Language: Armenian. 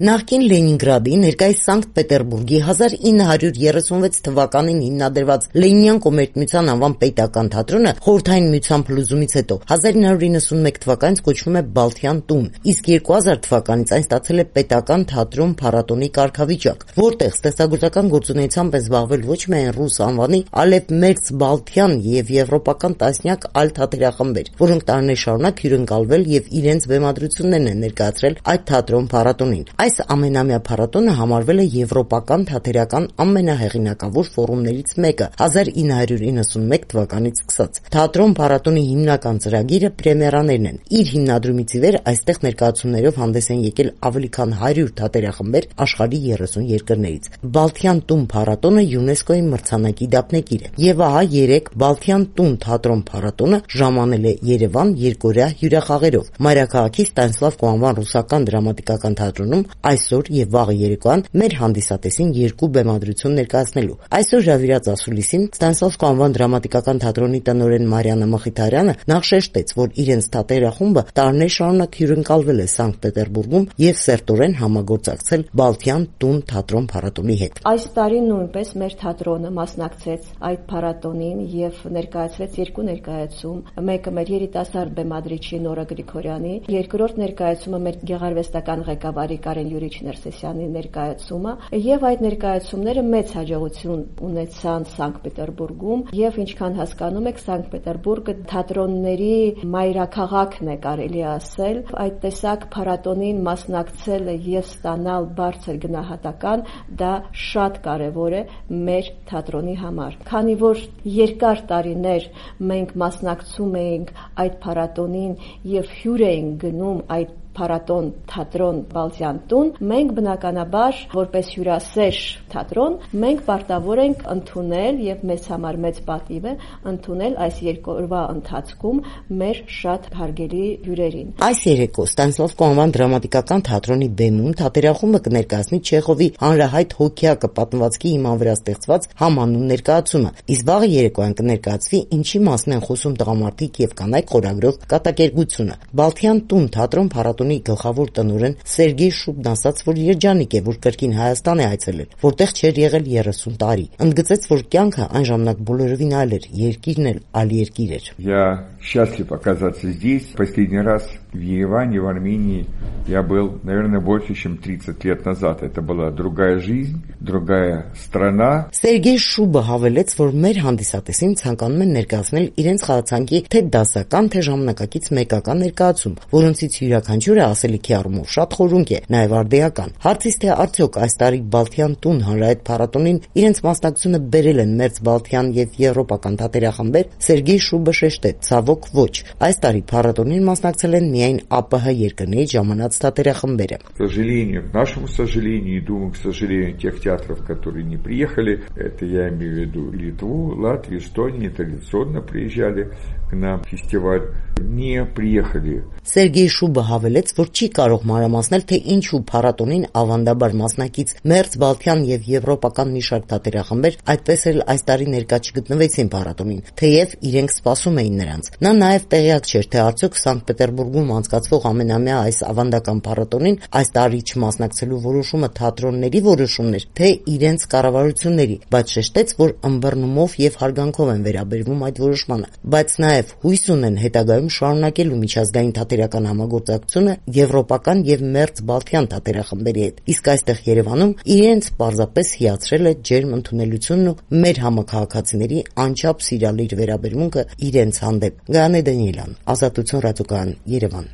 Նախկին Լենինգրադի, ներկայիս Սանկտ Պետերբուրգի 1936 թվականին հիմնադրված Լենինյան կոմերցիոն անվան պետական թատրոնը խորհրդային միության փլուզումից հետո 1991 թվականից կոչվում է Բալթյան տուն, իսկ 2000 թվականից այն ստացել է պետական թատրոն փառատոնի կարգավիճակ, որտեղ ստեղծագործական գործունեությամբ են զբաղվել ոչ միայն ռուս անվանի, այլև Մերձ Բալթյան եւ եվրոպական տասնյակ այլ թատերախմբեր, որոնք տարիներ շարունակ հյուրընկալվել եւ իրենց բեմադրություններն են ներկայացրել այդ թատրոն փառատոնին։ Այս ամենամյա փառատոնը համարվել է եվրոպական թատերական ամենահեղինակավոր ֆորումներից մեկը 1991 թվականից սկսած։ Թատրոն փառատոնի հիմնական ծրագիրը պրեմիերաներն են։ Իր հիմնադրումից ի վեր այստեղ ներկայացումներով հանդես են եկել ավելի քան 100 թատերախմբեր աշխարհի 30 երկրներից։ Բալթյան տուն փառատոնը ՅՈՒՆԵՍԿՕ-ի մրցանակի դափնեկիր է։ Եվ ահա 3 Բալթյան տուն թատրոն փառատոնը ժամանել է Երևան երկօրյա հյուրախաղերով։ Մայրաքաղաքի Ստանիսլավ Կոանվան ռուսական դրամատիկական թատրոնում այսօր եւ վաղը երեկոյան մեր հանդիսատեսին 2 բեմադրություն ներկայացնելու։ Այսօր հրավիրած ասուլիսին Ստանիսլավ Կոանվան դրամատիկական թատրոնի տնօրեն Մարիաննա Մխիթարյանը նախ շեշտեց, որ իրենց թատերախումբը տարիներ շարունակ հյուրընկալվել է Սանկտ Պետերբուրգում եւ սերտորեն համագործակցել Բալթյան տուն թատրոն փառատոնի հետ։ Այս տարի նույնպես մեր թատրոնը մասնակցեց այդ փառատոնին եւ ներկայացրեց 2 ներկայացում, մեկը մեր երիտասարդ բեմադրիչի Նորա Գրիգորյանի, երկրորդ ներկայացումը մեր գեղարվեստական ղեկավարի Կարեն Յուրիչ Ներսեսյանի ներկայացումը, եւ այդ ներկայացումները մեծ հաջողություն ունեցան Սանկտ Պետերբուրգում, եւ ինչքան հասկանում եք, Սանկտ Պետերբուրգը թատրոնների մայրաքաղաքն է, կարելի ասել։ Այդ տեսակ փառատոնին մասնակցելը եւ ստանալ բարձր գնահատական, դա շատ կարեւոր է մեր թատրոնի համար։ Քանի որ երկար տարիներ մենք մասնակցում էինք այդ փառատոնին եւ հյուր էինք գնում այդ փառատոն թատրոն Բալթյան տուն, մենք բնականաբար որպես հյուրասեր թատրոն մենք պարտավոր ենք ընդունել եւ մեզ համար մեծ պատիվ է ընդունել այս երկօրվա ընթացքում մեր շատ հարգելի հյուրերին։ Այս երեկո Ստանիսլավ Կոանվան դրամատիկական թատրոնի բեմում թատերախումբը կներկայացնի Չեխովի հանրահայտ հոգեակը պատմվածքի հիման վրա ստեղծված համանուն ներկայացումը, իսկ վաղը երեկոյան կներկայացվի Ինչի մասին են խոսում տղամարդիկ եւ կանայք խորագրով կատակերգությունը։ Բալթյան տուն թատրոն փառատոնի գլխավոր տնօրեն Սերգեյ Շուբն ասաց, որ երջանիկ է, որ կրկին Հայաստան է այցելել, որտեղ չէր եղել 30 տարի։ Ընդգծեց, որ կյանքը այն ժամանակ բոլորովին այլ էր, երկիրն էլ այլ երկիր էր։ Я счастлив оказаться здесь. Последний раз в Ереване, в Армении я был, наверное, больше, чем 30 лет назад. Это была другая жизнь, другая страна. Սերգեյ Շուբը հավելեց, որ մեր հանդիսատեսին ցանկանում են ներկայացնել իրենց խաղացանկի թե դասական, թե ժամանակակից մեկական ներկայացում, որոնցից յուրաքանչյուրը ասելիքի առումով շատ խորունկ է, նաև արդիական։ Հարցից թե արդյոք այս տարի Բալթյան տուն հանրահայտ փառատոնին իրենց մասնակցությունը բերել են Մերձ Բալթյան եւ եվրոպական թատերախմբեր, Սերգեյ Շուբը շեշտեց, ցավոք ոչ։ Այս տարի փառատոնին մասնակցել են միայն ԱՊՀ երկրներից ժամանած թատերախմբերը։ К сожалению, к нашему сожалению, и думаю, к сожалению, тех театров, которые не приехали, это я имею в виду Литву, Латвию, Эстонию, традиционно приезжали к нам фестиваль, не приехали. Սերգեյ Շուբը հավելեց, որ չի կարող մանրամասնել, թե ինչու փառատոնին ավանդաբար մասնակից Մերձ Բալթյան եւ եվրոպական մի շարք թատերախմբեր այդպես էլ այս տարի ներկա չգտնվեցին փառատոնին, թեև իրենք սպասում էին նրանց։ Նա նաև տեղյակ չէր, թե արդյոք Սանկտ Պետերբուրգում անցկացվող ամենամյա այս ավանդական փառատոնին այս տարի չմասնակցելու որոշումը թատրոնների որոշումն էր, թե իրենց կառավարությունների, բայց շեշտեց, որ ըմբռնումով եւ հարգանքով են վերաբերվում այդ որոշմանը, բայց նաև հույս ունեն հետագայում շարունակելու միջազգային թատերական համագործակցությունը եվրոպական եւ Մերձ Բալթյան թատերախմբերի հետ։ Իսկ այստեղ Երևանում իրենց պարզապես հիացրել է ջերմ ընդունելությունն ու մեր համակարգացիների անչափ սիրալիր վերաբերմունքը իրենց հանդեպ։ Գայանե Դանիելյան, Ազատություն ռադիոկայան, Երևան։